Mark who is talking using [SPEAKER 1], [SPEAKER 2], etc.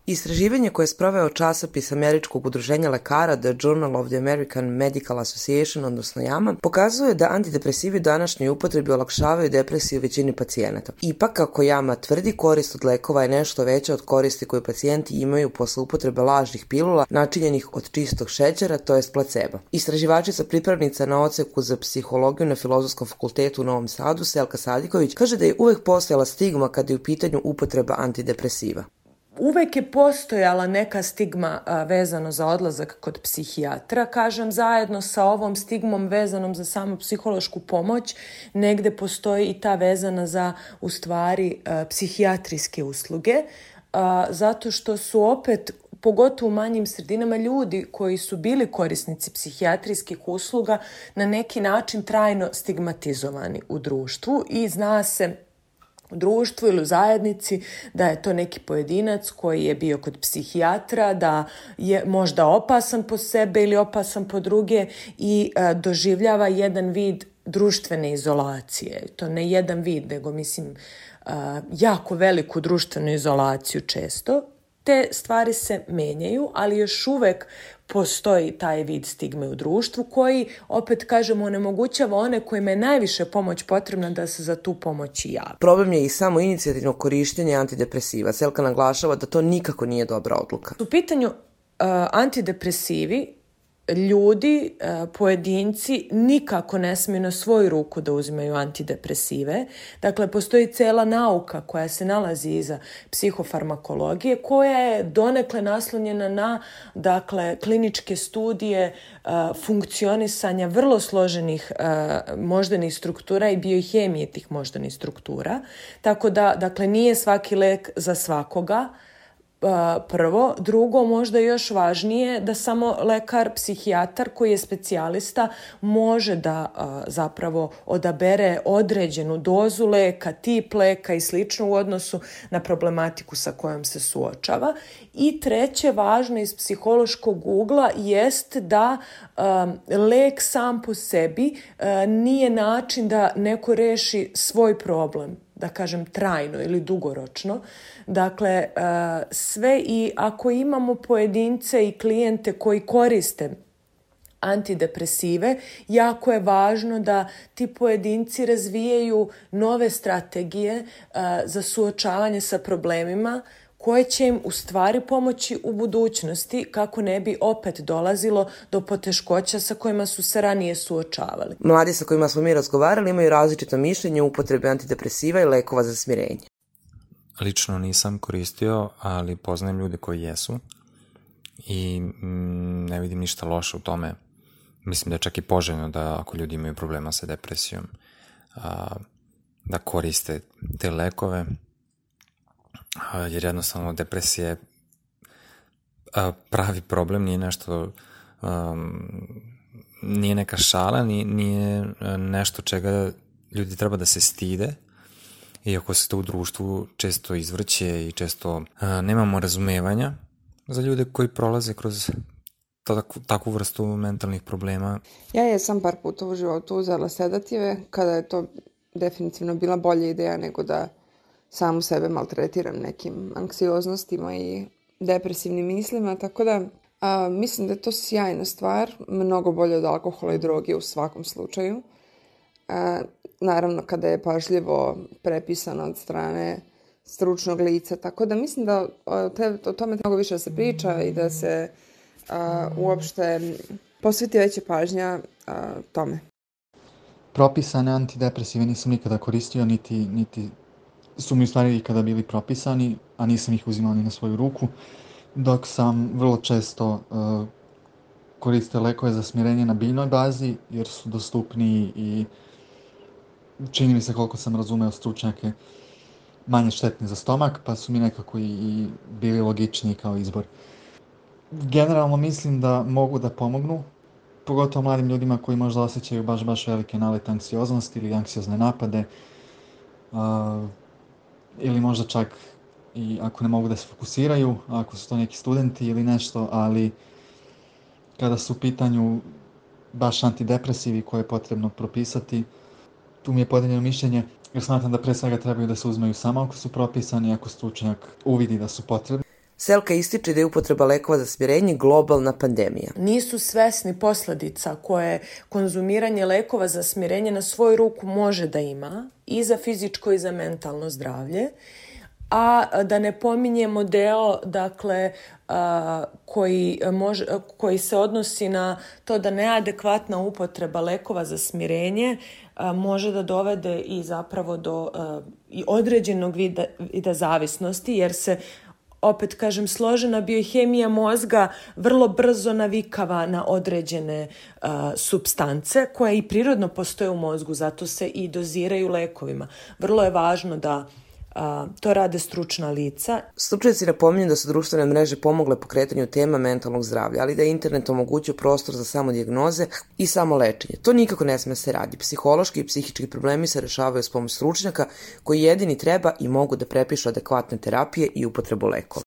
[SPEAKER 1] Istraživanje koje je sproveo časopis Američkog udruženja lekara The Journal of the American Medical Association, odnosno JAMA, pokazuje da antidepresivi u današnjoj upotrebi olakšavaju depresiju većini pacijenata. Ipak, kako JAMA tvrdi, korist od lekova je nešto veća od koristi koju pacijenti imaju posle upotrebe lažnih pilula načinjenih od čistog šećera, to jest placebo. Istraživačica pripravnica na odseku za psihologiju na Filozofskom fakultetu u Novom Sadu, Selka Sadiković, kaže da je uvek postojala stigma kada je u pitanju upotreba antidepresiva.
[SPEAKER 2] Uvek je postojala neka stigma vezano za odlazak kod psihijatra. Kažem, zajedno sa ovom stigmom vezanom za samu psihološku pomoć, negde postoji i ta vezana za, u stvari, psihijatrijske usluge, zato što su opet, pogotovo u manjim sredinama, ljudi koji su bili korisnici psihijatrijskih usluga na neki način trajno stigmatizovani u društvu i zna se u društvu ili u zajednici da je to neki pojedinac koji je bio kod psihijatra, da je možda opasan po sebe ili opasan po druge i doživljava jedan vid društvene izolacije. To ne jedan vid, nego mislim jako veliku društvenu izolaciju često. Te stvari se menjaju, ali još uvek postoji taj vid stigme u društvu koji, opet kažemo, onemogućava one kojima je najviše pomoć potrebna da se za tu pomoć i jave.
[SPEAKER 1] Problem je i samo inicijativno korištenje antidepresiva. Selka naglašava da to nikako nije dobra odluka.
[SPEAKER 2] U pitanju antidepresivi, ljudi, pojedinci nikako ne smiju na svoju ruku da uzimaju antidepresive. Dakle, postoji cela nauka koja se nalazi iza psihofarmakologije, koja je donekle naslonjena na, dakle, kliničke studije funkcionisanja vrlo složenih moždanih struktura i biohemije tih moždanih struktura. Tako da, dakle, nije svaki lek za svakoga. Prvo. Drugo, možda još važnije, da samo lekar, psihijatar koji je specijalista može da zapravo odabere određenu dozu leka, tip leka i slično u odnosu na problematiku sa kojom se suočava. I treće, važno iz psihološkog ugla jest da lek sam po sebi nije način da neko reši svoj problem, da kažem trajno ili dugoročno. Dakle, sve i ako imamo pojedince i klijente koji koriste antidepresive, jako je važno da ti pojedinci razvijaju nove strategije za suočavanje sa problemima koje će im u stvari pomoći u budućnosti kako ne bi opet dolazilo do poteškoća sa kojima su se ranije suočavali.
[SPEAKER 1] Mladi sa kojima smo mi razgovarali imaju različito mišljenje o upotrebi antidepresiva i lekova za smirenje.
[SPEAKER 3] Lično nisam koristio, ali poznajem ljude koji jesu i ne vidim ništa loše u tome. Mislim da je čak i poželjno da ako ljudi imaju problema sa depresijom, da koriste te lekove, jer jednostavno depresija je pravi problem, nije nešto, nije neka šala, nije nešto čega ljudi treba da se stide, iako se to u društvu često izvrće i često nemamo razumevanja za ljude koji prolaze kroz takvu vrstu mentalnih problema.
[SPEAKER 4] Ja jesam par puta u životu uzela sedative, kada je to definitivno bila bolja ideja nego da samu sebe maltretiram nekim anksioznostima i depresivnim mislima, tako da mislim da je to sjajna stvar, mnogo bolje od alkohola i droge u svakom slučaju. Naravno kada je pažljivo prepisano od strane stručnog lica, tako da mislim da o tome mnogo više da se priča i da se uopšte posveti veća pažnja tome.
[SPEAKER 5] Propisane antidepresive nisam nikada koristio, niti su mi u stvari ikada bili propisani, a nisam ih uzimao ni na svoju ruku, dok sam vrlo često koristio lekove za smirenje na biljnoj bazi, jer su dostupniji i čini mi se, koliko sam razumeo stručnjake, manje štetni za stomak, pa su mi nekako i bili logičniji kao izbor. Generalno mislim da mogu da pomognu, pogotovo mladim ljudima koji možda osjećaju baš velike nalete anksioznosti ili anksiozne napade, ili možda čak i ako ne mogu da se fokusiraju, ako su to neki studenti ili nešto, ali kada su u pitanju baš antidepresivi koje je potrebno propisati, tu mi je podeljeno mišljenje, jer smatram da pre svega trebaju da se uzmeju samo ako su propisani, ako stručnjak uvidi da su potrebni.
[SPEAKER 1] Selka ističe da je upotreba lekova za smirenje globalna pandemija.
[SPEAKER 2] Nisu svesni posledica koje konzumiranje lekova za smirenje na svoju ruku može da ima i za fizičko i za mentalno zdravlje, a da ne pominjemo deo, dakle, koji se odnosi na to da neadekvatna upotreba lekova za smirenje može da dovede i zapravo do i određenog vida zavisnosti, jer se, opet kažem, složena biohemija mozga vrlo brzo navikava na određene supstance koje i prirodno postoje u mozgu, zato se i doziraju lekovima. Vrlo je važno da to rade stručna lica.
[SPEAKER 1] Stručnjaci napominju da su društvene mreže pomogle pokretanju tema mentalnog zdravlja, ali da je internet omogućio prostor za samodijagnoze i samolečenje. To nikako ne sme se radi. Psihološki i psihički problemi se rešavaju s pomoć stručnjaka koji jedini treba i mogu da prepišu adekvatne terapije i upotrebu lekova.